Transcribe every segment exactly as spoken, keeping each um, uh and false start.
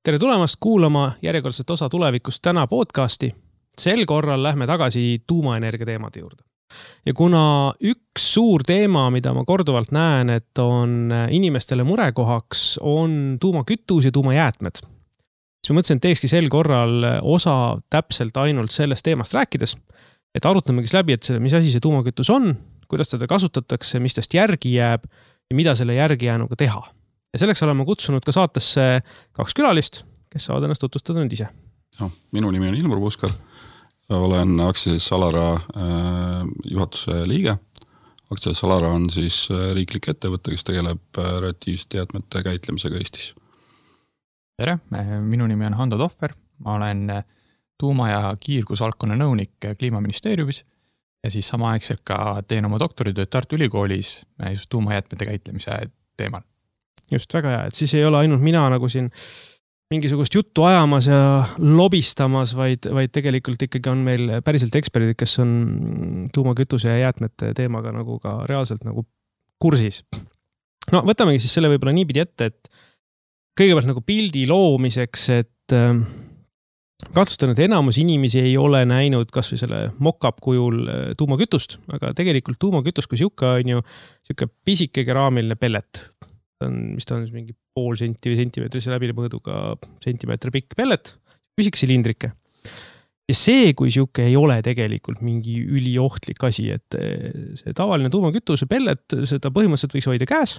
Tere tulemast kuulama järjekordset osa tulevikust täna podcasti. Sel korral lähme tagasi tuumaenergia teemade juurde. Ja kuna üks suur teema, mida ma korduvalt näen, et on inimestele murekohaks, on tuumakütus ja tuumajäätmed. Siis ma mõtlesin, et teekski sel korral osa täpselt ainult sellest teemast rääkides, et arutamegi läbi, et see, mis asi see tuumakütus on, kuidas teda kasutatakse, mis tast järgi jääb ja mida selle järgi jäänuga teha. Ja selleks oleme kutsunud ka saatesse kaks külalist, kes saavad ennast tutvustada nüüd ise. No, minu nimi on Ilmar Puuskar. Olen aktsiaselts Alara äh, juhatuse liige. Aktsiaselts Alara on siis riiklik ettevõte, kes tegeleb radioaktiivsete jäätmete käitlemisega Eestis. Tere, minu nimi on Hando Tohver. Ma olen tuuma- ja kiirgusvaldkonna nõunik Kliimaministeeriumis ja siis samaaegselt ka teen oma doktoritööd Tartu Ülikoolis just tuumajäätmete käitlemise teemal. Just väga hea, et siis ei ole ainult mina nagu siin mingisugust juttu ajamas ja lobistamas, vaid, vaid tegelikult ikkagi on meil päriselt eksperdid, kes on tuumakütuse ja jäätmete teemaga nagu ka reaalselt nagu kursis. No võtamegi siis selle võib-olla niipidi ette, et kõigepealt nagu pildi loomiseks, et äh, katsustan, et enamus inimesi ei ole näinud kas või selle mock-up kujul tuumakütust, aga tegelikult tuumakütus kui siuke on ju siuke pisike keraamiline pellet. On, mis ta on mingi pool senti või sentimeetrise läbimõõduga sentimeetri pikk pellet, pisik silindrike. Ja see, kui siuke ei ole tegelikult mingi üliohtlik asi, et see tavaline tuumakütuse pellet, seda põhimõtteliselt võiks hoida käes.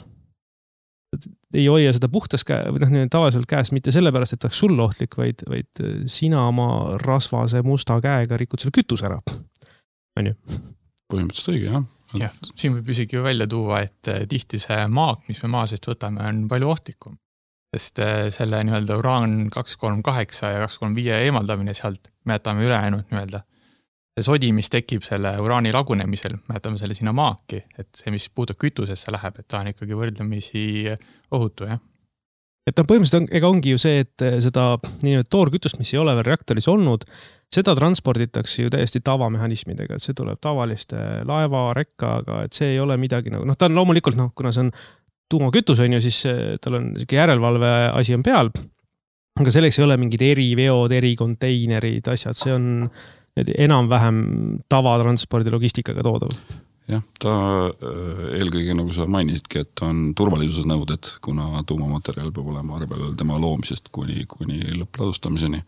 Ei hoia seda puhtas käe, või noh, tavaliselt käes mitte sellepärast, et ta oleks sul ohtlik, vaid, vaid sina oma rasvase musta käega rikud selle kütus ära. On ju? Põhimõtteliselt õige, jah. Ja, siin võib isegi välja tuua, et tihti see maak, mis me maa seest võtame, on palju ohtlikum. Sest selle nii-öelda uraan kaks kolm kaheksa ja kaks kolm viis eemaldamine sealt, me jätame ülejäänud nii-öelda. See sodi, mis tekib selle uraani lagunemisel, me jätame selle sinna maaki, et see, mis puutub kütusesse läheb, et ta on ikkagi võrdlemisi ohutu, jah. Et no põhimõtteliselt on, ega ongi ju see, et seda nii-öelda toorkütust, mis ei ole veel reaktoris olnud, seda transporditakse ju täiesti tavamehhanismidega, et see tuleb tavaliste laeva, rekkaga, et see ei ole midagi nagu, noh, ta on loomulikult, noh, kuna see on tuumakütus on ju, siis tal on järelevalve asi on peal, aga selleks ei ole mingid eriveod, erikonteinerid, asjad, see on enam-vähem tavatranspordi logistikaga toodav. Jah, ta eelkõige, nagu sa mainisidki, et on turvalisuse nõuded, kuna tuumamaterjal peab olema arvel tema loomisest kuni, kuni lõppladustamiseni.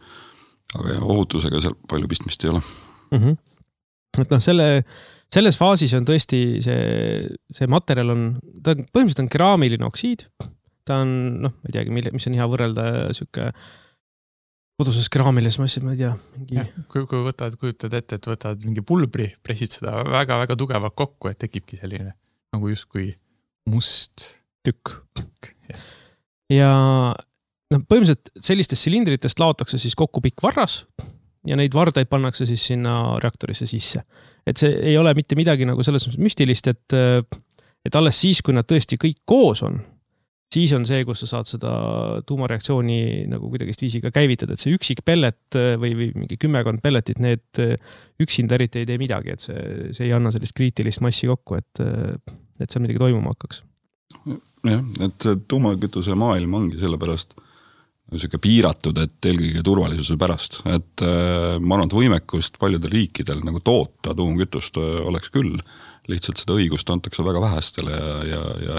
Aga jah, ohutusega seal palju pistmist ei ole. Mm-hmm. Et noh, selle, selles faasis on tõesti see, see materjal on, ta on, põhimõtteliselt on keraamiline oksiid. Ta on, noh, ma ei teagi, mis on hea võrrelda siuke koduses keraamiles massid, ma ei tea. Mingi... Ja, kui, kui võtad, kujutad ette, et võtad mingi pulbri, pressid seda väga-väga tugevalt kokku, et tekibki selline nagu justkui must tükk. Ja, ja no, põhimõtteliselt sellistest silindritest laotakse siis kokku pikk varras ja neid vardaid pannakse siis sinna reaktorisse sisse. Et see ei ole mitte midagi nagu selles müstilist, et, et alles siis, kui nad tõesti kõik koos on, siis on see, kus sa saad seda tuumareaktsiooni nagu kuidagist viisiga käivitada, et see üksik pellet või, või mingi kümmekond pelletit, need üksinda eriti ei tee midagi, et see, see ei anna sellist kriitilist massi kokku, et, et seal midagi toimuma hakkaks. Jah, et tuumakütuse maailm ongi sellepärast selline piiratud, et eelkõige turvalisuse pärast, et ma arvan, et võimekust paljudel riikidel nagu toota tuumakütust oleks küll, lihtsalt seda õigust antakse väga vähestele ja, ja, ja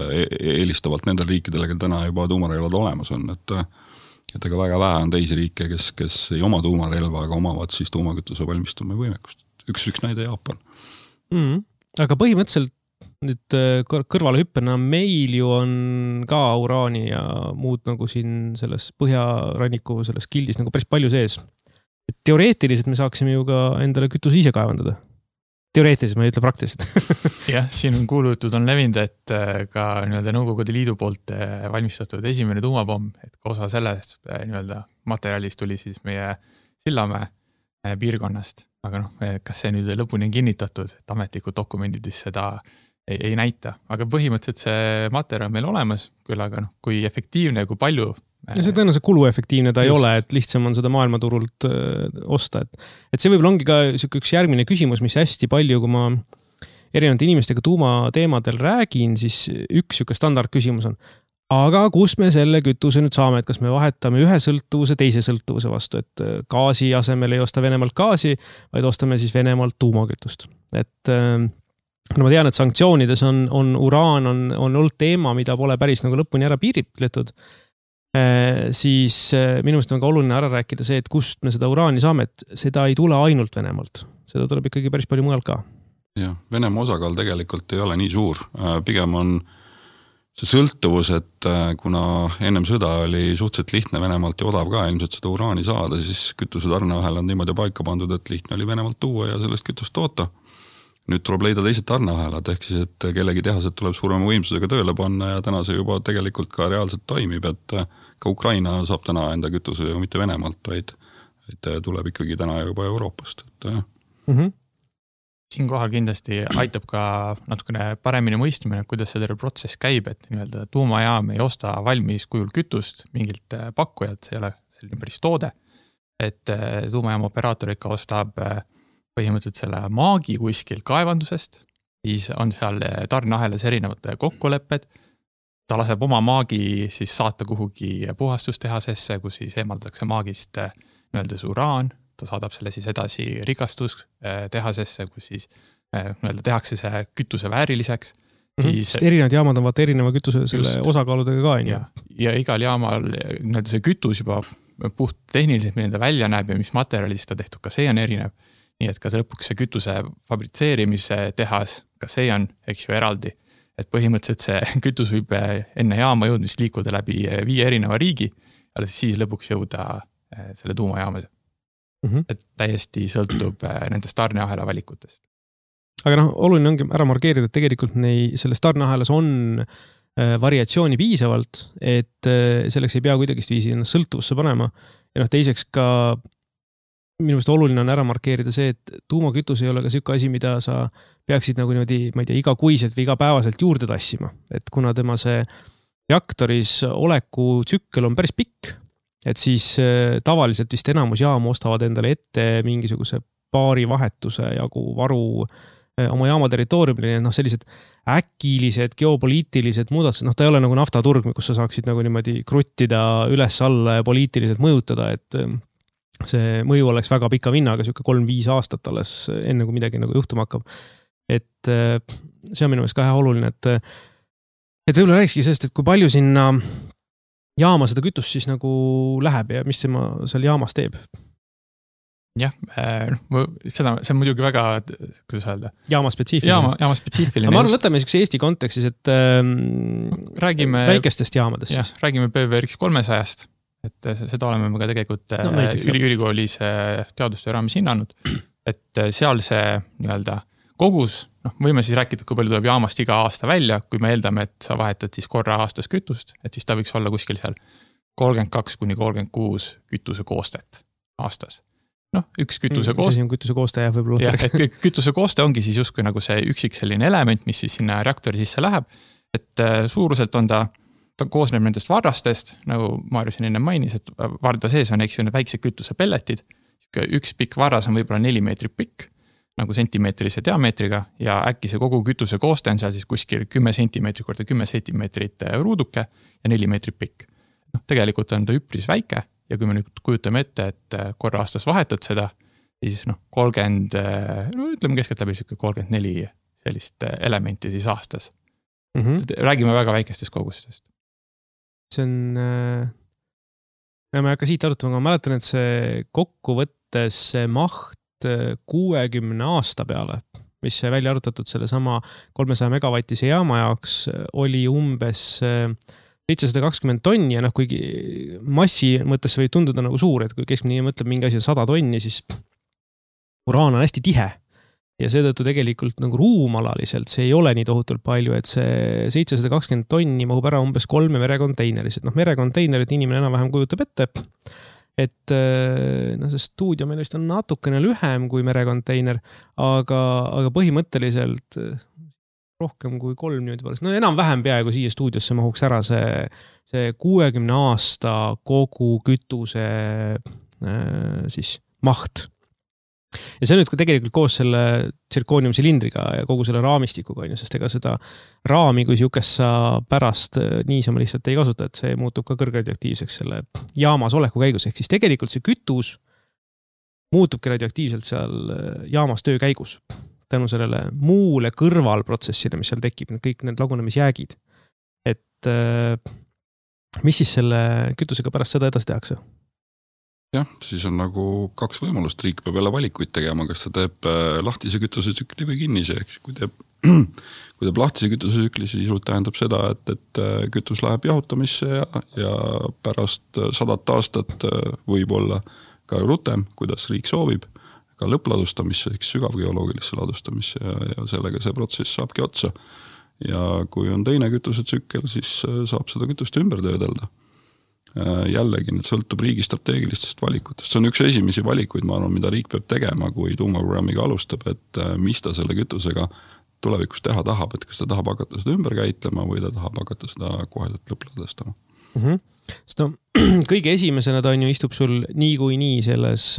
eelistavalt nendel riikidele, kel täna juba tuumarelvad olemas on, et, et ega väga vähe on teisi riike, kes, kes ei oma tuumarelva, aga omavad siis tuumakütuse valmistume võimekust. Üks, üks näide Jaapan. Mm, aga põhimõtteliselt nüüd kõrvale hüppena meil ju on ka uraani ja muud nagu siin selles põhjaranniku selles kildis nagu päris palju sees. Et teoreetiliselt me saaksime ju ka endale kütuse ise kaevandada. Teoreetiliselt, ma ei ütle praktiliselt. Jah, siin on kuulutud on levinud, et ka nii-öelda Nõukogude Liidu poolt valmistatud esimene tuumapomm, et osa sellest nii-öelda materjalist tuli siis meie Sillamäe piirkonnast. Aga noh, kas see nüüd lõpuni on kinnitatud, et ametlikud dokumendidis seda ei, ei näita. Aga põhimõtteliselt see materjal meil olemas, küll aga noh, kui efektiivne ja kui palju Ja see tõenäoliselt kuluefektiivne ta Just. Ei ole, et lihtsam on seda maailmaturult öö, osta. Et, et see võib-olla ongi ka üks järgmine küsimus, mis hästi palju, kui ma erinevate inimestega tuumateemadel räägin, siis üks siuke standard küsimus on, aga kust me selle kütuse nüüd saame, et kas me vahetame ühe sõltuvuse teise sõltuvuse vastu, et gaasi asemel ei osta Venemaalt gaasi, vaid ostame siis Venemaalt tuumakütust. Et no ma tean, et sanktsioonides on, on uraan on, on olnud teema, mida pole päris nagu lõpuni ära piiritletud. Siis minu meelest on ka oluline ära rääkida see, et kust me seda uraani saame, et seda ei tule ainult Venemaalt. Seda tuleb ikkagi päris palju mujal ka. Jah, Venemaa osakaal tegelikult ei ole nii suur. Pigem on see sõltuvus, et kuna ennem sõda oli suhteliselt lihtne Venemaalt ja odav ka ilmselt seda uraani saada, siis kütuse tarneahel on niimoodi paika pandud, et lihtne oli Venemaalt tuua ja sellest kütust toota. Nüüd tuleb leida teised tarneahelad, ehk siis, et kellegi tehased tuleb suurema võimsusega tööle panna ja täna see juba tegelikult ka reaalselt toimib, et ka Ukraina saab täna enda kütuse ju mitte Venemaalt, vaid, vaid tuleb ikkagi täna juba Euroopast. Et, mm-hmm. Siin kohal kindlasti aitab ka natukene paremini mõistmine, kuidas see terve protsess käib, et nii-öelda tuumajaam ei osta valmis kujul kütust mingilt pakkujalt, see ei ole selline päris toode, et tuumajaama operaator ikka ostab põhimõtteliselt selle maagi kuskil kaevandusest, siis on seal tarneahelas erinevad kokkulepped, ta laseb oma maagi siis saata kuhugi puhastustehasesse, kus siis eemaldatakse maagist nii-öelda uraan, ta saadab selle siis edasi rikastustehasesse, kus siis nii-öelda tehakse see kütuse vääriliseks. Mm-hmm. Siis, sest erinevad jaamad on vaata erineva kütuse selle just, osakaaludega ka. Ja, ja igal jaamal nii-öelda see kütus juba puht tehniliselt, milline ta välja näeb ja mis materjalist ta tehtud, ka see on erinev. Nii et ka see lõpuks see kütuse fabritseerimise tehas, ka see on, eks ju, eraldi. Et põhimõtteliselt see kütus võib enne jaama jõudmist liikuda läbi viie erineva riigi, ja siis lõpuks jõuda selle tuumajaamade. Mm-hmm. Et täiesti sõltub nendest tarneahela valikutest. Aga noh, oluline ongi ära markeerida, et tegelikult nei, selles tarneahelas on variatsiooni piisavalt, et selleks ei pea kuidagist viisi ennast sõltuvusse panema. Ja noh, teiseks ka minu meelest oluline on ära markeerida see, et tuumakütus ei ole ka selline asi, mida sa peaksid nagu niimoodi, ma ei tea, igakuiselt või igapäevaselt juurde tassima. Et kuna tema see reaktoris oleku tsükkel on päris pikk, et siis tavaliselt vist enamus jaamu ostavad endale ette mingisuguse paari vahetuse jagu varu oma jaama territooriumil, noh sellised äkilised, geopoliitilised muudatused, noh ta ei ole nagu naftaturg, kus sa saaksid nagu niimoodi kruttida üles alla ja poliitiliselt mõjutada, et see mõju oleks väga pika vinnaga, siuke kolm-viis aastat alles enne kui midagi nagu juhtuma hakkab. Et see on minu meelest ka hea oluline, et, et võib-olla rääkski sellest, et kui palju sinna jaama seda kütust siis nagu läheb ja mis tema seal jaamas teeb? Jah, seda, see on muidugi väga, kuidas öelda? Jaama spetsiifiline. Jaama, jaama spetsiifiline. Ma arvan, võtame Eesti kontekstis, et räägime, väikestest jaamadest. Jah, räägime P V R X kolmesaja-st. Et seda oleme me ka tegelikult no, näiteks, ülikoolis teadustöö raamis hinnanud, et seal see nii-öelda kogus, noh, võime siis rääkida, kui palju tuleb jaamast iga aasta välja, kui me eeldame, et sa vahetad siis korra aastas kütust, et siis ta võiks olla kuskil seal kolmkümmend kaks kuni kolmkümmend kuus kütuse koostet aastas. Noh, üks kütuse kooste. Mis asi on kütuse kooste jah, võib-olla? Jah, et kütuse kooste ongi siis justkui nagu see üksik selline element, mis siis sinna reaktori sisse läheb, et suuruselt on ta ta koosneb nendest varrastest, nagu Maarju siin enne mainis, et varda sees on, eks ju, need väiksed kütuse pelletid. Üks pikk varras on võib-olla neli meetrit pikk, nagu sentimeetrise diameetriga, ja äkki see kogu kütuse kooste on seal siis kuskil kümme sentimeetrit korda kümme sentimeetrit ruuduke ja neli meetrit pikk. No, tegelikult on ta üpris väike ja kui me nüüd kujutame ette, et korra aastas vahetad seda, siis noh, kolmkümmend, no ütleme keskelt läbi kolmkümmend neli sellist elementi siis aastas. Mm-hmm. Räägime väga väikestest kogustest. See on, ja ma ei hakka siit arutama, aga ma mäletan, et see kokkuvõttes see maht kuuekümne aasta peale, mis see välja arutatud selle sama kolmesaja megavatise jaama jaoks, oli umbes seitsesada kakskümmend tonni ja noh, kuigi massi mõttes võib tunduda nagu suur, et kui keskmine mõtleb mingi asi sada tonni, siis uraan on hästi tihe. Ja seetõttu tegelikult nagu ruumalaliselt see ei ole nii tohutult palju, et see seitsesada kakskümmend tonni mahub ära umbes kolme merekonteineris. Et noh, merekonteinerit inimene enam-vähem kujutab ette, et no, see stuudio meil vist on natukene lühem kui merekonteiner, aga, aga põhimõtteliselt rohkem kui kolm niimoodi palju. No enam-vähem peaaegu siia stuudiosse mahuks ära see, see kuuekümne aasta kogu kütuse siis maht. ja see on nüüd tegelikult koos selle tsirkooniumsilindriga ja kogu selle raamistikuga, on ju, sest ega seda raami, kui siukest sa pärast niisama lihtsalt ei kasuta, et see muutub ka kõrgradioaktiivseks selle jaamas oleku käigus. Ehk siis tegelikult see kütus muutubki radioaktiivselt seal jaamas töö käigus. Tänu sellele muule kõrvalprotsessile, mis seal tekib, kõik need lagunemisjäägid. Et mis siis selle kütusega pärast seda edasi tehakse? Jah, siis on nagu kaks võimalust, riik peab jälle valikuid tegema, kas ta teeb lahtise kütusesükli või kinnise, eks kui teeb, kui teeb lahtise kütusesükli, siis tähendab seda, et, et kütus läheb jahutamisse ja, ja pärast sadat aastat võib olla ka rutem, kuidas riik soovib, ka lõppladustamisse, eks sügavgeoloogilisse ladustamisse ja, ja sellega see protsess saabki otsa. Ja kui on teine kütusetsükkel, siis saab seda kütust ümber töödelda. Jällegi, need sõltub riigi strateegilistest valikutest. See on üks esimesi valikuid, ma arvan, mida riik peab tegema, kui tuumaprogrammiga alustab, et mis ta selle kütusega tulevikus teha tahab, et kas ta tahab hakata seda ümber käitlema või ta tahab hakata seda koheselt lõppladestama. Mm-hmm. Sest no, kõige esimesena ta on ju istub sul nii kui nii selles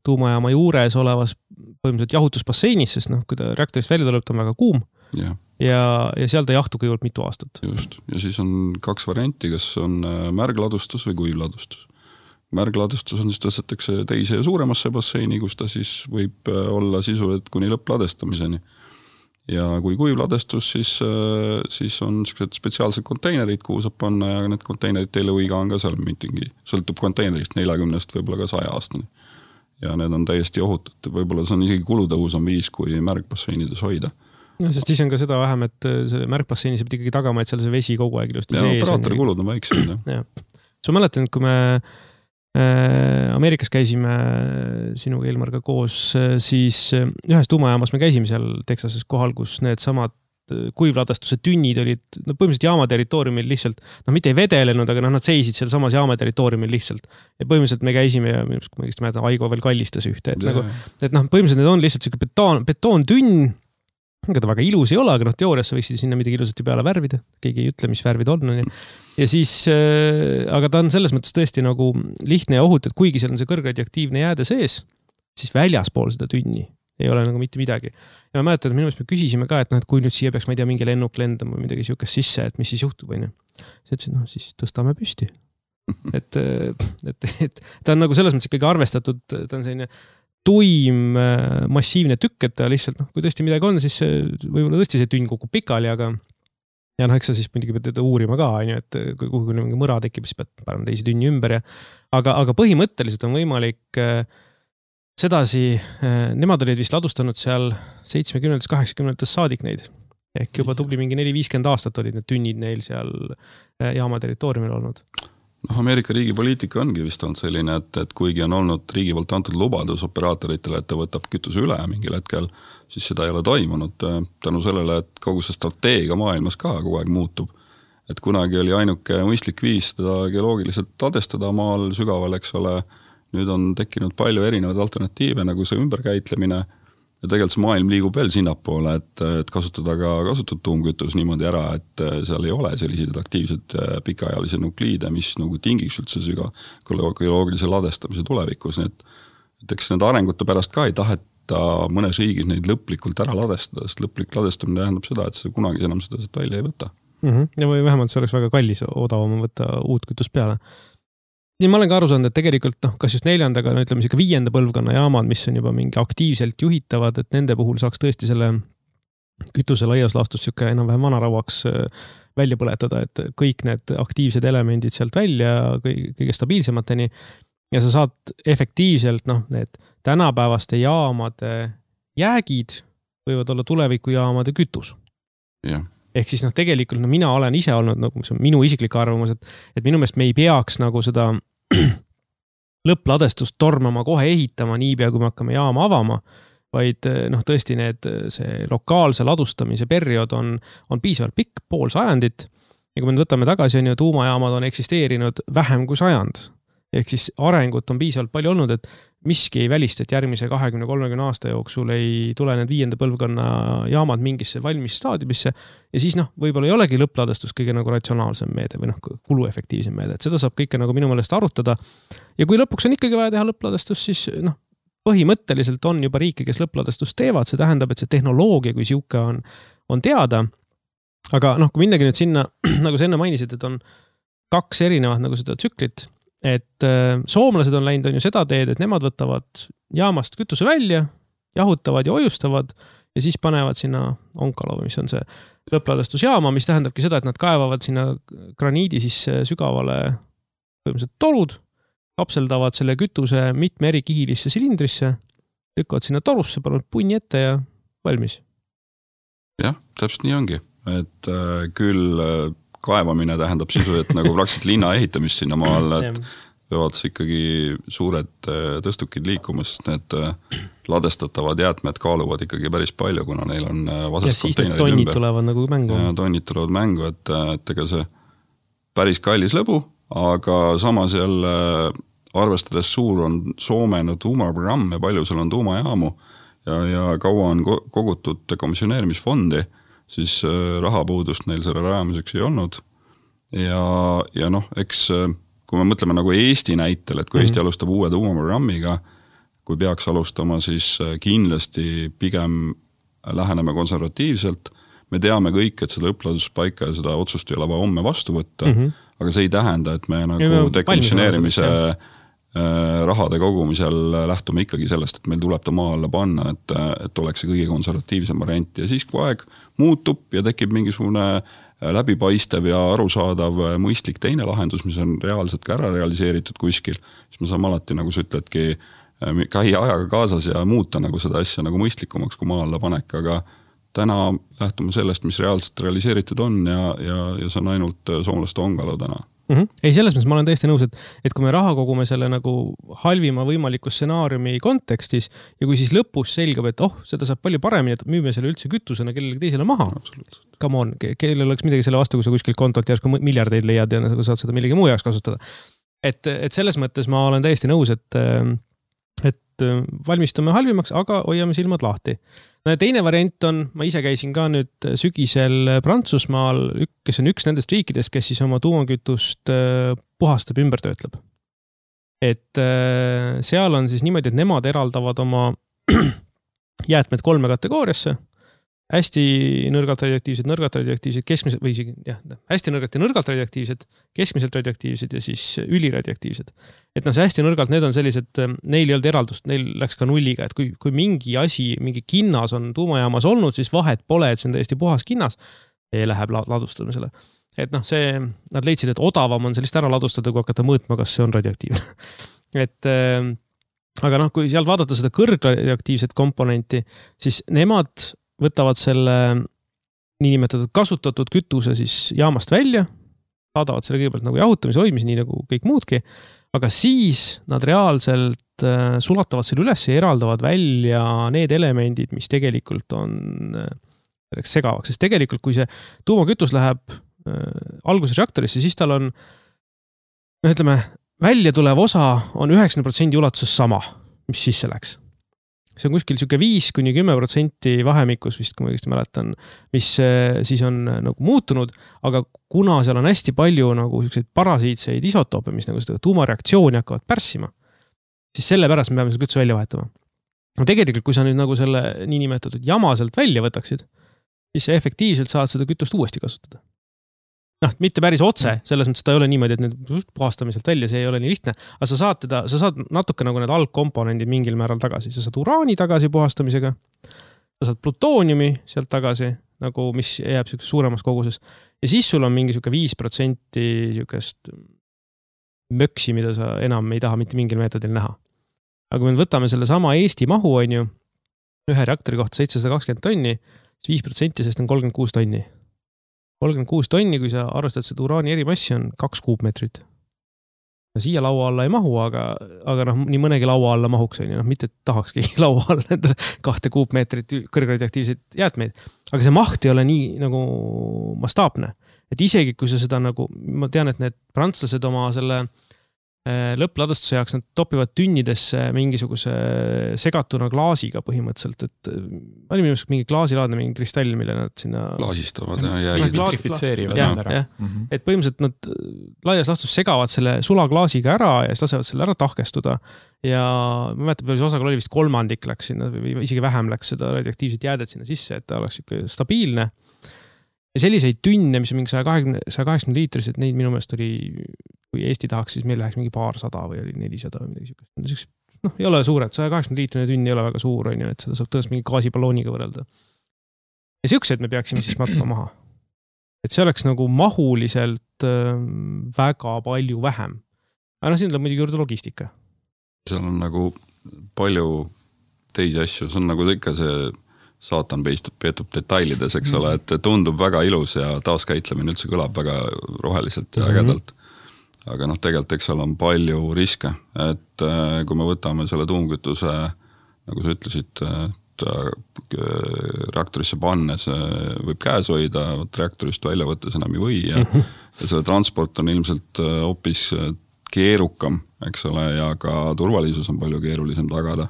tuumajaama juures olevas põhimõtteliselt jahutusbasseinis, sest noh, kui ta reaktorist välja tuleb, ta on väga kuum. Ja. Ja, ja seal ta jahtu kõigepealt mitu aastat. Just. Ja siis on kaks varianti, kas on märgladustus või kuivladustus. Märgladustus on siis tõstetakse teise ja suuremasse basseini, kus ta siis võib olla sisuliselt kuni lõppladestamiseni. Ja kui kuivladestus, siis, siis on spetsiaalsed konteinerid, kuhu saab panna ja need konteinerid teile võiga on ka seal mitingi, sõltub konteinerist neljakümnest võib-olla ka saja aastani. Ja need on täiesti ohutud. Võib-olla see on isegi kulutõhusam viis, kui märgbasseinides hoida. No, sest siis on ka seda vähem, et see märkbasseini saab ikkagi tagama, et seal see vesi kogu aeg ilusti ja, sees. Ja operaatori kulud on väiksed. Ja. So ma mäletan, et kui me äh, Ameerikas käisime sinuga Ilmarga koos, siis ühes tuumajaamas me käisime seal Texases kohal, kus need samad kuivladastuse tünnid olid no, põhimõtteliselt jaama territooriumil lihtsalt, no mitte ei vedelenud, aga no, nad seisid seal samas jaama territooriumil lihtsalt. Ja põhimõtteliselt me käisime ja kui ma õigesti mäletan, Aigo veel kallistas ühte. Et, nagu, et noh, põhimõtteliselt need on lihtsalt selline betoon, betoontünn, aga ta väga ilus ei ole, aga noh, teoorias võiksid sinna midagi ilusasti peale värvida. Keegi ei ütle, mis värvid on. Ja siis, äh, aga ta on selles mõttes tõesti nagu lihtne ja ohut, et kuigi seal on see kõrgradioaktiivne jääde sees, siis väljaspool seda tünni ei ole nagu mitte midagi. Ja ma mäletan, et minu meelest me küsisime ka, et, noh, et kui nüüd siia peaks, ma ei tea, mingi lennuk lendama või midagi siukest sisse, et mis siis juhtub, on ju. Siis ütlesin, noh, siis tõstame püsti. et, et, et ta on nagu selles mõttes ikkagi arvestatud, ta on selline tuim massiivne tükk, et ta lihtsalt, noh, kui tõesti midagi on, siis võib-olla tõesti see tünn kukub pikali, aga ja noh, eks sa siis muidugi pead teda uurima ka, on ju, et kui kuhu mingi mõra tekib, siis pead parem teisi tünni ümber ja aga, aga põhimõtteliselt on võimalik sedasi, nemad olid vist ladustanud seal seitsmekümnendatest kaheksakümnendatest saadik neid. Ehk juba tubli mingi neli viiskümmend aastat olid need tünnid neil seal jaama territooriumil olnud. No, Ameerika riigi poliitika ongi vist olnud selline, et, et kuigi on olnud riigi poolt antud lubadus operaatoritele, et ta võtab kütuse üle mingil hetkel, siis seda ei ole toimunud tänu sellele, et kogu see strateegia maailmas ka kogu aeg muutub. Et kunagi oli ainuke mõistlik viis seda geoloogiliselt ladestada maal sügaval, eks ole, nüüd on tekkinud palju erinevaid alternatiive, nagu see ümberkäitlemine ja tegelikult see maailm liigub veel sinnapoole, et, et kasutada ka kasutatud tuumkütus niimoodi ära, et seal ei ole sellised aktiivsed pikaajalisi nukliide, mis nagu tingiks üldse süga geoloogilise ladestamise tulevikus. Nii et, et eks need arengute pärast ka ei taheta mõnes riigis neid lõplikult ära ladestada, sest lõplik ladestamine tähendab seda, et see kunagi enam seda välja ei võta. Mm-hmm. Ja või vähemalt see oleks väga kallis odavam võtta uut kütust peale. Nii ma olen ka aru saanud, et tegelikult noh, kas just neljandaga, no ütleme siuke viienda põlvkonna jaamad, mis on juba mingi aktiivselt juhitavad, et nende puhul saaks tõesti selle kütuse laias laastus siuke enam-vähem vanarauaks välja põletada, et kõik need aktiivsed elemendid sealt välja kõige stabiilsemateni ja sa saad efektiivselt noh, need tänapäevaste jaamade jäägid võivad olla tulevikujaamade kütus. Jah. Ehk siis noh, tegelikult no, mina olen ise olnud, nagu see on minu isiklik arvamus, et, et minu meelest me ei peaks nagu seda lõppladestust tormama kohe ehitama niipea, kui me hakkame jaama avama, vaid noh, tõesti need, see lokaalse ladustamise periood on, on piisavalt pikk, pool sajandit ja kui me võtame tagasi, on ju, tuumajaamad on eksisteerinud vähem kui sajand. Ehk siis arengut on piisavalt palju olnud, et miski ei välista, et järgmise kahekümne kolmekümne aasta jooksul ei tule need viienda põlvkonna jaamad mingisse valmis staadiumisse ja siis noh, võib-olla ei olegi lõppladestus kõige nagu ratsionaalsem meede või noh, kuluefektiivsem meede, et seda saab kõike nagu minu meelest arutada ja kui lõpuks on ikkagi vaja teha lõppladestus, siis noh, põhimõtteliselt on juba riike, kes lõppladestust teevad, see tähendab, et see tehnoloogia kui siuke on, on teada. Aga noh, kui minnagi nüüd sinna, nagu sa enne mainisid, et on kaks erinevat nagu seda tsüklit, et äh, soomlased on läinud on ju seda teed, et nemad võtavad jaamast kütuse välja, jahutavad ja ojustavad ja siis panevad sinna onkalo, mis on see lõppladestusjaama, mis tähendabki seda, et nad kaevavad sinna graniidi sisse sügavale põhimõtteliselt torud, kapseldavad selle kütuse mitme eri kihilisse silindrisse, lükkavad sinna torusse, panevad punni ette ja valmis. Jah, täpselt nii ongi. Et äh, küll äh, kaevamine tähendab sisu, et nagu praktiliselt linna ehitamist sinna maal, et peavad ikkagi suured äh, tõstukid liikumas, need äh, ladestatavad jäätmed kaaluvad ikkagi päris palju, kuna neil on äh, vasest konteinerid ümber. Ja siis need tonnid tulevad nagu mängu. Ja tonnid tulevad mängu, et, et ega see päris kallis lõbu, aga samas jälle arvestades suur on Soome no, tuumaprogramm ja palju seal on tuumajaamu ja, ja kaua on kogutud dekomisjoneerimisfondi, siis rahapuudust neil selle rajamiseks ei olnud. Ja, ja noh, eks kui me mõtleme nagu Eesti näitel, et kui Eesti mm-hmm. alustab uue tuumaprogrammiga, kui peaks alustama, siis kindlasti pigem läheneme konservatiivselt. Me teame kõik, et seda õpladuspaika ja seda otsust ei ole vaja homme vastu võtta, mm-hmm. aga see ei tähenda, et me nagu dekomisjoneerimise rahade kogumisel lähtume ikkagi sellest, et meil tuleb ta maa alla panna, et, et oleks see kõige konservatiivsem variant. Ja siis kui aeg muutub ja tekib mingisugune läbipaistev ja arusaadav mõistlik teine lahendus, mis on reaalselt ka ära realiseeritud kuskil, siis me saame alati, nagu sa ütledki, käia ajaga kaasas ja muuta nagu seda asja nagu mõistlikumaks kui maa alla panek, aga täna lähtume sellest, mis reaalselt realiseeritud on ja, ja, ja see on ainult soomlaste ongalo täna. Mm-hmm. Ei, selles mõttes ma olen täiesti nõus, et, et kui me raha kogume selle nagu halvima võimaliku stsenaariumi kontekstis ja kui siis lõpus selgab, et oh, seda saab palju paremini, et müüme selle üldse kütusena kellelegi teisele maha. Come on, kellel oleks midagi selle vastu, kui sa kuskilt kontolt järsku miljardeid leiad ja saad seda millegi muu jaoks kasutada. Et, et selles mõttes ma olen täiesti nõus, et, et valmistume halvimaks, aga hoiame silmad lahti. Teine variant on, ma ise käisin ka nüüd sügisel Prantsusmaal, kes on üks nendest riikidest, kes siis oma tuumakütust puhastab, ümber töötleb. Et seal on siis niimoodi, et nemad eraldavad oma jäätmed kolme kategooriasse. Hästi nõrgalt radioaktiivsed, nõrgalt radioaktiivsed, keskmiselt, või isegi, jah, hästi nõrgalt ja nõrgalt radioaktiivsed, keskmiselt radioaktiivsed ja siis üliradioaktiivsed. Et noh, see hästi nõrgalt, need on sellised, neil ei olnud eraldust, neil läks ka nulliga, et kui, kui mingi asi, mingi kinnas on tuumajaamas olnud, siis vahet pole, et see on täiesti puhas kinnas, ja läheb ladustamisele. Et noh, see, nad leidsid, et odavam on sellist ära ladustada, kui hakata mõõtma, kas see on radioaktiivne. et aga noh, kui sealt vaadata seda kõrgradioaktiivset komponenti, siis nemad võtavad selle niinimetatud kasutatud kütuse siis jaamast välja, saadavad selle kõigepealt nagu jahutamise hoidmise, nii nagu kõik muudki, aga siis nad reaalselt sulatavad selle üles ja eraldavad välja need elemendid, mis tegelikult on segavaks. Sest tegelikult, kui see tuumakütus läheb alguses reaktorisse, siis tal on, no ütleme, välja tulev osa on üheksakümmend protsenti ulatuses sama, mis sisse läks. See on kuskil siuke viis kuni kümme protsenti vahemikus vist, kui ma õigesti mäletan, mis siis on nagu muutunud, aga kuna seal on hästi palju nagu siukseid parasiitseid isotoope, mis nagu seda tuumareaktsiooni hakkavad pärssima, siis selle pärast me peame seda kütuse välja vahetama. No tegelikult, kui sa nüüd nagu selle niinimetatud jamaselt välja võtaksid, siis sa efektiivselt saad seda kütust uuesti kasutada. Noh, mitte päris otse, selles mõttes ta ei ole niimoodi, et nüüd puhastamiselt välja, see ei ole nii lihtne, aga sa saad, teda, sa saad natuke nagu need algkomponendid mingil määral tagasi. Sa saad uraani tagasi puhastamisega, sa saad plutooniumi sealt tagasi, nagu mis jääb suuremas koguses. Ja siis sul on mingi siuke viis protsenti siukest möksi, mida sa enam ei taha mitte mingil meetodil näha. Aga kui me võtame selle sama Eesti mahu, on ju, ühe reaktori kohta seitsesada kakskümmend tonni, siis viis protsenti sest on kolmkümmend kuus tonni. kolmkümmend kuus tonni, kui sa arvestad seda uraani erimassi, on kaks kuupmeetrit. No siia laua alla ei mahu, aga, aga noh, nii mõnegi laua alla mahuks, on ju, noh, mitte tahakski laua alla kahte kuupmeetrit kõrgradioaktiivseid jäätmeid. Aga see maht ei ole nii nagu mastaapne. Et isegi, kui sa seda nagu, ma tean, et need prantslased oma selle lõppladustuse jaoks nad topivad tünnidesse mingisuguse segatuna klaasiga põhimõtteliselt, et oli minu mingi klaasilaadne, mingi kristall, mille nad sinna klaasistavad ja jäid. Nitrifitseerivad ja, ära. Ja. Mm-hmm. Et põhimõtteliselt nad laias lastus segavad selle sulaklaasiga ära ja siis lasevad selle ära tahkestuda ja ma mäletan, et osakal oli vist kolmandik läks sinna või isegi vähem läks seda radioaktiivset jäädet sinna sisse, et ta oleks stabiilne. Ja selliseid tünne, mis on mingi sada kaheksakümmend liitrised, neid minu meelest oli, kui Eesti tahaks, siis meil läheks mingi paarsada või oli nelisada või midagi sükest. Noh, ei ole suured, sada kaheksakümmend liitrine tünn ei ole väga suur, on ju, et seda saab tõesti mingi gaasibalooniga võrrelda. Ja siuksed me peaksime siis matma maha. Et see oleks nagu mahuliselt väga palju vähem. Aga no siin tuleb muidugi juurde logistika. Seal on nagu palju teisi asju, see on nagu ikka see saatan peistub, peetub detailides, eks ole, et tundub väga ilus ja taaskäitlemine üldse kõlab väga roheliselt ja ägedalt. Aga noh, tegelikult eks seal on palju riske, et kui me võtame selle tuumkütuse, nagu sa ütlesid, et reaktorisse pannes võib käes hoida, reaktorist välja võttes enam ei või ja, ja selle transport on ilmselt hoopis keerukam, eks ole, ja ka turvalisus on palju keerulisem tagada.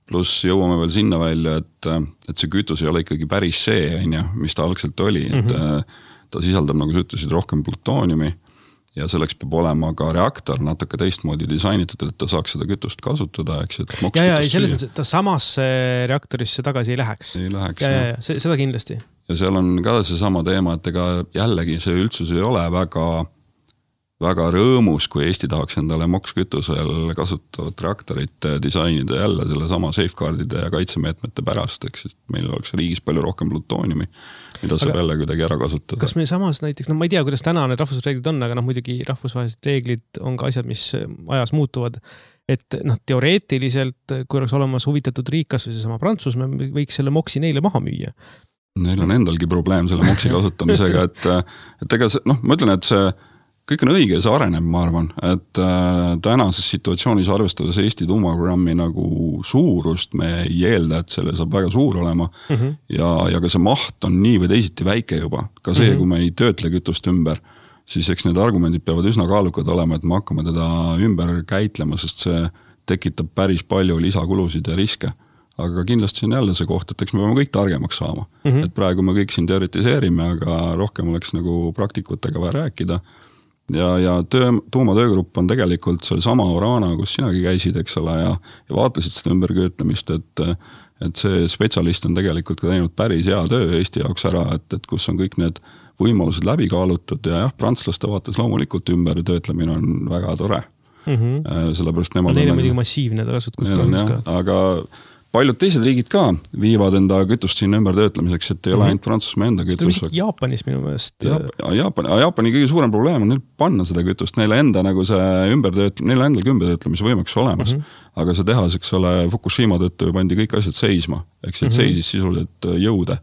Pluss jõuame veel sinna välja, et, et see kütus ei ole ikkagi päris see, mis ta algselt oli, et mm-hmm. ta sisaldab, nagu sa ütlesid, rohkem plutooniumi ja selleks peab olema ka reaktor natuke teistmoodi disainitud, et ta saaks seda kütust kasutada, eks, et moks ja, ja, ei, selles mõttes, et ta samasse reaktorisse tagasi ei läheks. Ei läheks, ja, ja, ja, seda kindlasti. Ja seal on ka see sama teema, et ega jällegi see üldsus ei ole väga väga rõõmus, kui Eesti tahaks endale mokskütusel kasutavat reaktorit disainida jälle selle sama safeguardide ja kaitsemeetmete pärast, eks, et meil oleks riigis palju rohkem plutooniumi, mida saab jälle kuidagi ära kasutada. Kas me samas näiteks, no ma ei tea, kuidas täna need rahvusreeglid on, aga noh, muidugi rahvusvahelised reeglid on ka asjad, mis ajas muutuvad, et noh, teoreetiliselt, kui oleks olemas huvitatud riik, kas või see sama Prantsusmaa, võiks selle moksi neile maha müüa. Neil on endalgi probleem selle moksi kasutamisega, et, et ega see, noh, ma ütlen, et see kõik on õige ja see areneb, ma arvan, et äh, tänases situatsioonis arvestades Eesti tuumaprogrammi nagu suurust me ei eelda, et selle saab väga suur olema mm -hmm. ja, ja ka see maht on nii või teisiti väike juba. Ka see, mm -hmm. kui me ei töötle kütust ümber, siis eks need argumendid peavad üsna kaalukad olema, et me hakkame teda ümber käitlema, sest see tekitab päris palju lisakulusid ja riske. Aga kindlasti on jälle see koht, et eks me peame kõik targemaks saama. Mm -hmm. Et praegu me kõik siin teoritiseerime, aga rohkem oleks nagu praktikutega vaja rääkida. Ja, ja töö, tuumatöögrupp on tegelikult seal sama Orana, kus sinagi käisid, eks ole, ja, ja vaatlesid seda ümberköötlemist, et, et see spetsialist on tegelikult ka teinud päris hea töö Eesti jaoks ära, et, et kus on kõik need võimalused läbi kaalutud ja jah, prantslaste vaates loomulikult ümbertöötlemine on väga tore. Mm -hmm. Sellepärast nemad no, neil on muidugi massiivne kasutus ka. Aga paljud teised riigid ka viivad enda kütust sinna ümber töötlemiseks, et ei ole ainult Prantsusmaa enda kütus. Seda Jaapanis minu meelest. Jaapani, Jaapani kõige suurem probleem on neil panna seda kütust, neile enda nagu see ümbertöötlemise, neile endal ümbertöötlemise võimeks olemas. Mm -hmm. Aga see tehas, eks ole, Fukushima tõttu pandi kõik asjad seisma, eks mm -hmm. seisis sisuliselt jõude.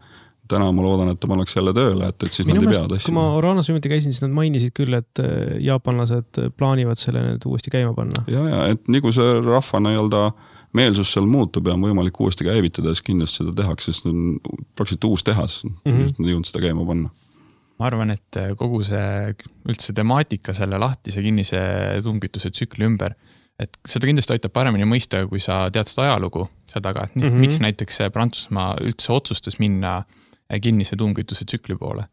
Täna ma loodan, et ta pannakse jälle tööle, et, et siis minu nad ei pea tassi. Kui ma Oranas viimati käisin, siis nad mainisid küll, et jaapanlased plaanivad selle nüüd uuesti käima panna. Ja, ja, et nii kui see rahvana nii-öelda meelsus seal muutub ja on võimalik uuesti käivitada, siis kindlasti seda tehakse, sest on praktiliselt uus tehas, mm -hmm. just nad jõudnud seda käima panna. Ma arvan, et kogu see üldse temaatika selle lahtise kinnise tuumkütuse tsükli ümber, et seda kindlasti aitab paremini mõista, kui sa tead seda ajalugu seda, et mm -hmm. miks näiteks Prantsusmaa üldse otsustas minna kinnise tuumkütuse tsükli poole.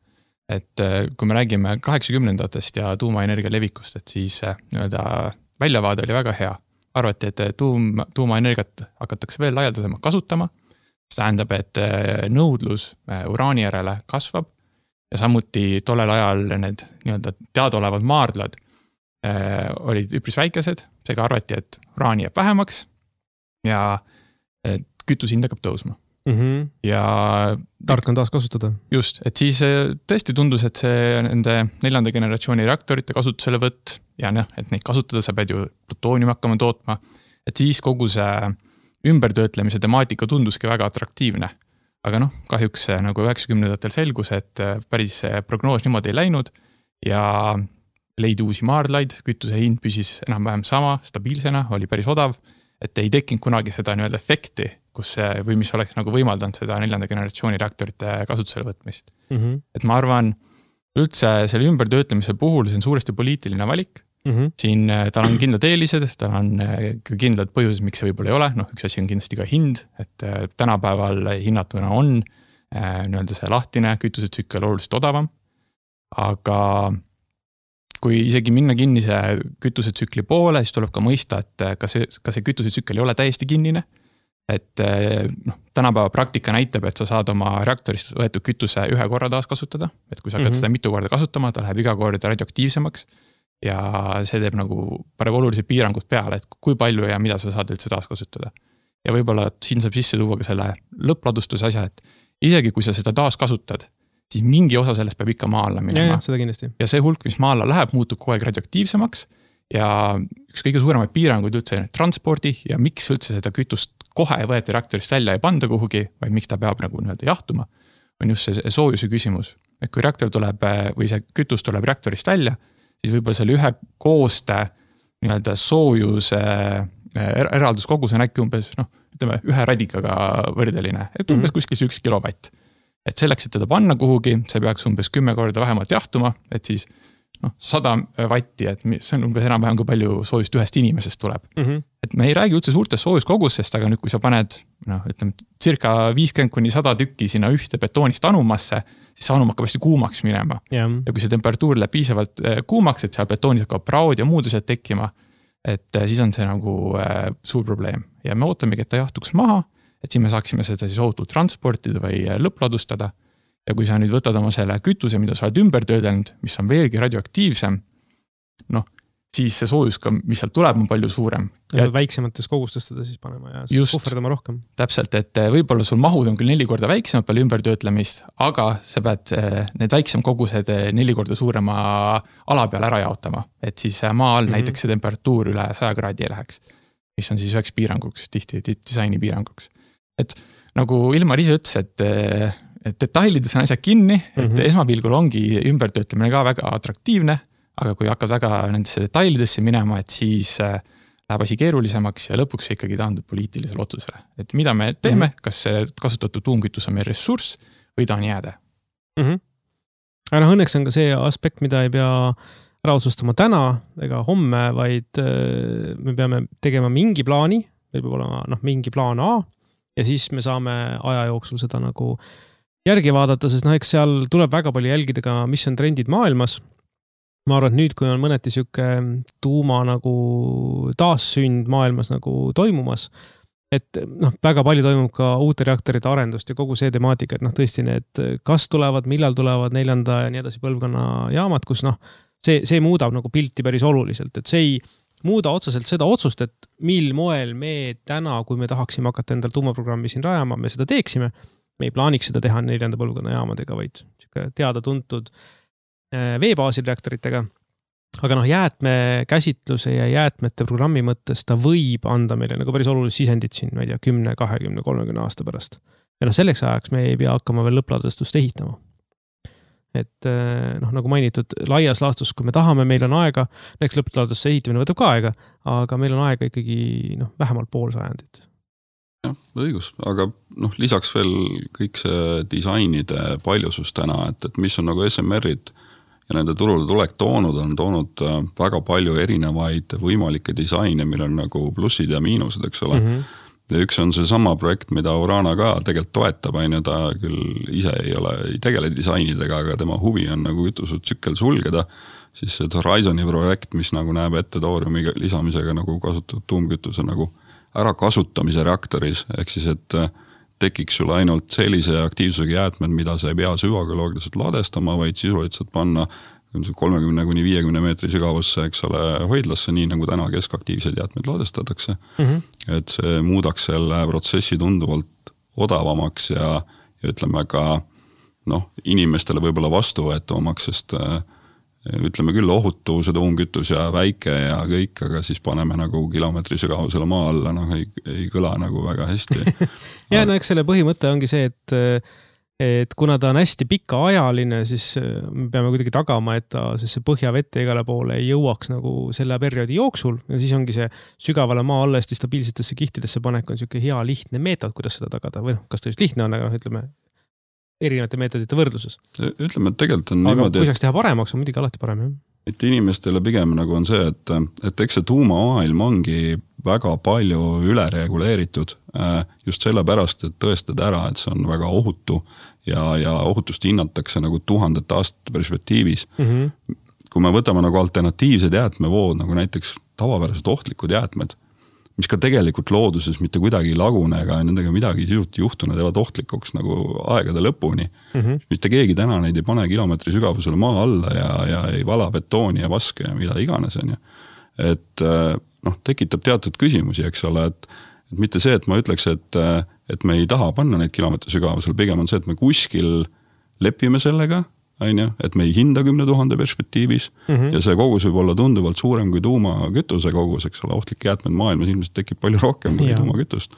Et kui me räägime kaheksakümnendatest ja tuumaenergia levikust, et siis nii-öelda väljavaade oli väga hea. Arvati, et tuum, tuumaenergiat hakatakse veel laialdasemalt kasutama. See tähendab, et nõudlus uraani järele kasvab ja samuti tollel ajal need nii-öelda teadaolevad maardlad äh, olid üpris väikesed, seega arvati, et uraani jääb vähemaks ja kütus hind hakkab tõusma. Mm -hmm. Ja tark on taas kasutada. Just, et siis tõesti tundus, et see nende neljanda generatsiooni reaktorite kasutuselevõtt ja noh, et neid kasutada, sa pead ju plutooniumi hakkama tootma, et siis kogu see ümbertöötlemise temaatika tunduski väga atraktiivne. Aga noh, kahjuks nagu üheksakümnendatel selgus, et päris prognoos niimoodi ei läinud ja leidi uusi maardlaid, kütuse hind püsis enam-vähem sama, stabiilsena, oli päris odav, et ei tekkinud kunagi seda nii-öelda efekti, kus see, või mis oleks nagu võimaldanud seda neljanda generatsiooni reaktorite kasutusele võtmist. Mm -hmm. Et ma arvan, üldse selle ümbertöötlemise puhul see on suuresti poliitiline valik, Mm-hmm. siin tal on kindlad eelised, tal on ka kindlad põhjused, miks see võib-olla ei ole, noh üks asi on kindlasti ka hind, et tänapäeval hinnatuna on nii-öelda see lahtine kütusetsükkel oluliselt odavam, aga kui isegi minna kinnise kütusetsükli poole, siis tuleb ka mõista, et ka see, ka see kütusetsükkel ei ole täiesti kinnine, et noh, tänapäeva praktika näitab, et sa saad oma reaktorist võetud kütuse ühe korra taas kasutada, et kui sa hakkad mm-hmm. seda mitu korda kasutama, ta läheb iga kord radioaktiivsemaks, ja see teeb nagu paneb olulised piirangud peale, et kui palju ja mida sa saad üldse taas kasutada. Ja võib-olla siin saab sisse tuua ka selle lõppladustuse asja, et isegi kui sa seda taas kasutad, siis mingi osa sellest peab ikka maa alla minema. Ja, seda kindlasti. Ja see hulk, mis maa alla läheb, muutub kogu aeg radioaktiivsemaks ja üks kõige suuremaid piiranguid üldse transpordi ja miks üldse seda kütust kohe võeti reaktorist välja ei panda kuhugi, vaid miks ta peab nagu nii-öelda jahtuma, on just see soojuse küsimus. Et kui reaktor tuleb või see kütus tuleb reaktorist välja, siis võib-olla selle ühe kooste nii-öelda soojuse eralduskogus on äkki umbes, noh, ütleme, ühe radikaga võrdeline, et umbes kuskil see üks kilovatt. Et selleks, et teda panna kuhugi, see peaks umbes kümme korda vähemalt jahtuma, et siis noh, sada vatti, et see on umbes enam-vähem kui palju soojust ühest inimesest tuleb. Mm-hmm. Et me ei räägi üldse suurtest soojuskogustest, aga nüüd, kui sa paned, noh, ütleme, circa viiskümmend kuni sada tükki sinna ühte betoonist anumasse, siis see anum hakkab hästi kuumaks minema. Yeah. Ja kui see temperatuur läheb piisavalt kuumaks, et seal betoonis hakkab praod ja muud asjad tekkima, et siis on see nagu äh, suur probleem. Ja me ootamegi, et ta jahtuks maha, et siin me saaksime seda siis ohutult transportida või lõppladustada. Ja kui sa nüüd võtad oma selle kütuse, mida sa oled ümber töödelnud, mis on veelgi radioaktiivsem, noh, siis see soojus, ka, mis sealt tuleb, on palju suurem. Ja väiksemates kogustes seda siis panema ja just, puhverdama rohkem. Täpselt, et võib-olla sul mahud on küll neli korda väiksemad palju ümber töötlemist, aga sa pead need väiksem kogused neli korda suurema ala peal ära jaotama. Et siis maa all mm-hmm. näiteks see temperatuur üle saja kraadi ei läheks, mis on siis üheks piiranguks, tihti disaini piiranguks. Et nagu Ilmar ise ütles, et et detailides on asjad kinni, et mm-hmm. esmapilgul ongi ümbertöötlemine ka väga atraktiivne, aga kui hakkad väga nendesse detailidesse minema, et siis läheb asi keerulisemaks ja lõpuks ikkagi taandub poliitilisele otsusele. Et mida me teeme, mm-hmm. kas see kasutatud tuumkütus on meil ressurss või ta on jääde? Mm-hmm. Aga noh, õnneks on ka see aspekt, mida ei pea ära otsustama täna ega homme, vaid me peame tegema mingi plaani, meil peab olema noh, mingi plaan A ja siis me saame aja jooksul seda nagu järgi vaadata, sest noh, eks seal tuleb väga palju jälgida ka, mis on trendid maailmas. Ma arvan, et nüüd, kui on mõneti siuke tuuma nagu taassünd maailmas nagu toimumas, et noh, väga palju toimub ka uute reaktorite arendust ja kogu see temaatika, et noh, tõesti need, kas tulevad, millal tulevad neljanda ja nii edasi põlvkonna jaamad, kus noh, see, see muudab nagu pilti päris oluliselt, et see ei muuda otseselt seda otsust, et mil moel me täna, kui me tahaksime hakata endal tuumaprogrammi siin rajama, me seda teeksime. Me ei plaaniks seda teha neljanda põlvkonna jaamadega, vaid teada-tuntud veebaasil reaktoritega. Aga noh, jäätme käsitluse ja jäätmete programmi mõttes ta võib anda meile nagu päris olulist sisendit siin, ma ei tea, kümne, kahekümne, kolmekümne aasta pärast. Ja noh, selleks ajaks me ei pea hakkama veel lõppladustust ehitama. Et noh, nagu mainitud, laias laastus, kui me tahame, meil on aega, eks lõppladustuse ehitamine võtab ka aega, aga meil on aega ikkagi noh, vähemalt pool sajandit. Jah, õigus, aga noh, lisaks veel kõik see disainide paljusus täna, et, et mis on nagu S M R-id ja nende turule tulek toonud, on toonud väga palju erinevaid võimalikke disaine, meil on nagu plussid ja miinused, eks ole. Mm-hmm. Ja üks on see sama projekt, mida Urana ka tegelikult toetab, ainu ta küll ise ei ole, ei tegele disainidega, aga tema huvi on nagu kütusetsükkel sulgeda, siis see Horizoni projekt, mis nagu näeb ette tooriumi lisamisega nagu kasutatud tuumkütuse nagu ära kasutamise reaktoris, ehk siis, et tekiks sul ainult sellise aktiivsusega jäätmed, mida sa ei pea süvageoloogiliselt ladestama, vaid sisuliselt panna kolmekümne kuni viiekümne meetri sügavusse, eks ole, hoidlasse, nii nagu täna keskaktiivsed jäätmed ladestatakse. Mm-hmm. Et see muudaks selle protsessi tunduvalt odavamaks ja, ja ütleme ka noh, inimestele võib-olla vastuvõetavamaks, sest ütleme küll ohutu, see tuumkütus ja väike ja kõik, aga siis paneme nagu kilomeetri sügavusele maa alla, noh ei, ei kõla nagu väga hästi. ja no eks selle põhimõte ongi see, et, et kuna ta on hästi pikaajaline, siis me peame kuidagi tagama, et ta see põhjavette igale poole ei jõuaks nagu selle perioodi jooksul ja siis ongi see sügavale maa alla hästi stabiilsetesse kihtidesse panek on siuke hea lihtne meetod, kuidas seda tagada või noh, kas ta just lihtne on, aga noh, ütleme erinevate meetodite võrdluses. Ütleme, et tegelikult on aga niimoodi, kui saaks teha paremaks, on muidugi alati parem, jah. et inimestele pigem nagu on see, et, et eks see tuumamaailm ongi väga palju ülereguleeritud just sellepärast, et tõestada ära, et see on väga ohutu ja, ja ohutust hinnatakse nagu tuhandete aastate perspektiivis. Mm-hmm. Kui me võtame nagu alternatiivsed jäätmevood, nagu näiteks tavapärased ohtlikud jäätmed, mis ka tegelikult looduses mitte kuidagi ei lagune, ega nendega midagi sisuti juhtuna teevad ohtlikuks nagu aegade lõpuni. Mm-hmm. Mitte keegi täna neid ei pane kilomeetri sügavusele maa alla ja, ja ei vala betooni ja vaske ja mida iganes on. Et noh, tekitab teatud küsimusi, eks ole, et, et mitte see, et ma ütleks, et, et me ei taha panna neid kilomeetri sügavusele, pigem on see, et me kuskil lepime sellega, Aine, et me ei hinda kümne tuhande perspektiivis mm-hmm. ja see kogus võib olla tunduvalt suurem kui tuumakütuse kogus, eks ole, ohtlik jäätmed maailmas ilmselt tekib palju rohkem kui tuumakütust.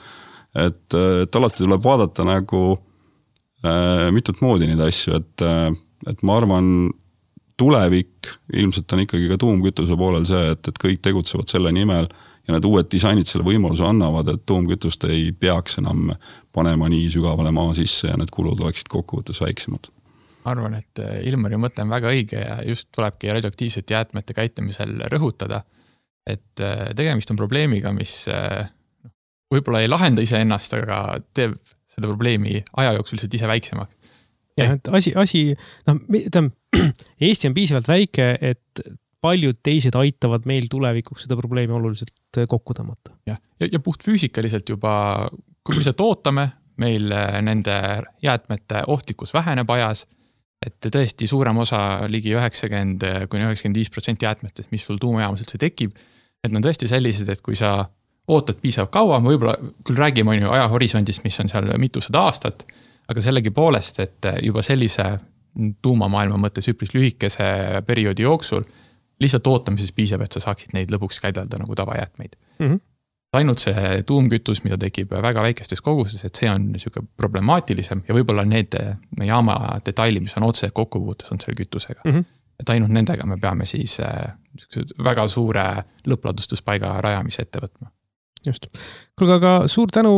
Et, et alati tuleb vaadata nagu äh, mitut moodi neid asju, et, et ma arvan, tulevik ilmselt on ikkagi ka tuumkütuse poolel see, et, et kõik tegutsevad selle nimel ja need uued disainid selle võimaluse annavad, et tuumkütust ei peaks enam panema nii sügavale maa sisse ja need kulud oleksid kokkuvõttes väiksemad. Arvan, et Ilmari mõte on väga õige ja just tulebki radioaktiivsete jäätmete käitlemisel rõhutada, et tegemist on probleemiga, mis võib-olla ei lahenda ise ennast, aga teeb seda probleemi aja jooksul lihtsalt ise väiksemaks. Ja, et asi, asi no, Eesti on piisavalt väike, et paljud teised aitavad meil tulevikuks seda probleemi oluliselt kokku tõmmata. Ja, ja, ja puht füüsikaliselt juba, kui me lihtsalt ootame, meil nende jäätmete ohtlikkus väheneb ajas, et tõesti suurem osa ligi üheksakümmend kuni üheksakümmend viis protsenti jäätmetest, mis sul tuumajaamas üldse tekib, et on tõesti sellised, et kui sa ootad piisav kaua, võib-olla küll räägime on ju ajahorisondist, mis on seal mitusada aastat, aga sellegi poolest, et juba sellise tuumamaailma mõttes üpris lühikese perioodi jooksul lihtsalt ootamises piisab, et sa saaksid neid lõpuks käidelda nagu tavajäätmeid. Mm-hmm. Ainult see tuumkütus, mida tekib väga väikestes koguses, et see on niisugune problemaatilisem ja võib-olla need jaama detaili, mis on otse kokkupuutes, on selle kütusega. Mm-hmm. Et ainult nendega me peame siis väga suure lõppladustuspaiga rajamise ette võtma. Just. Kuulge, aga suur tänu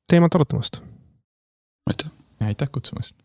teemat arutamast. Aitäh. Aitäh kutsumast.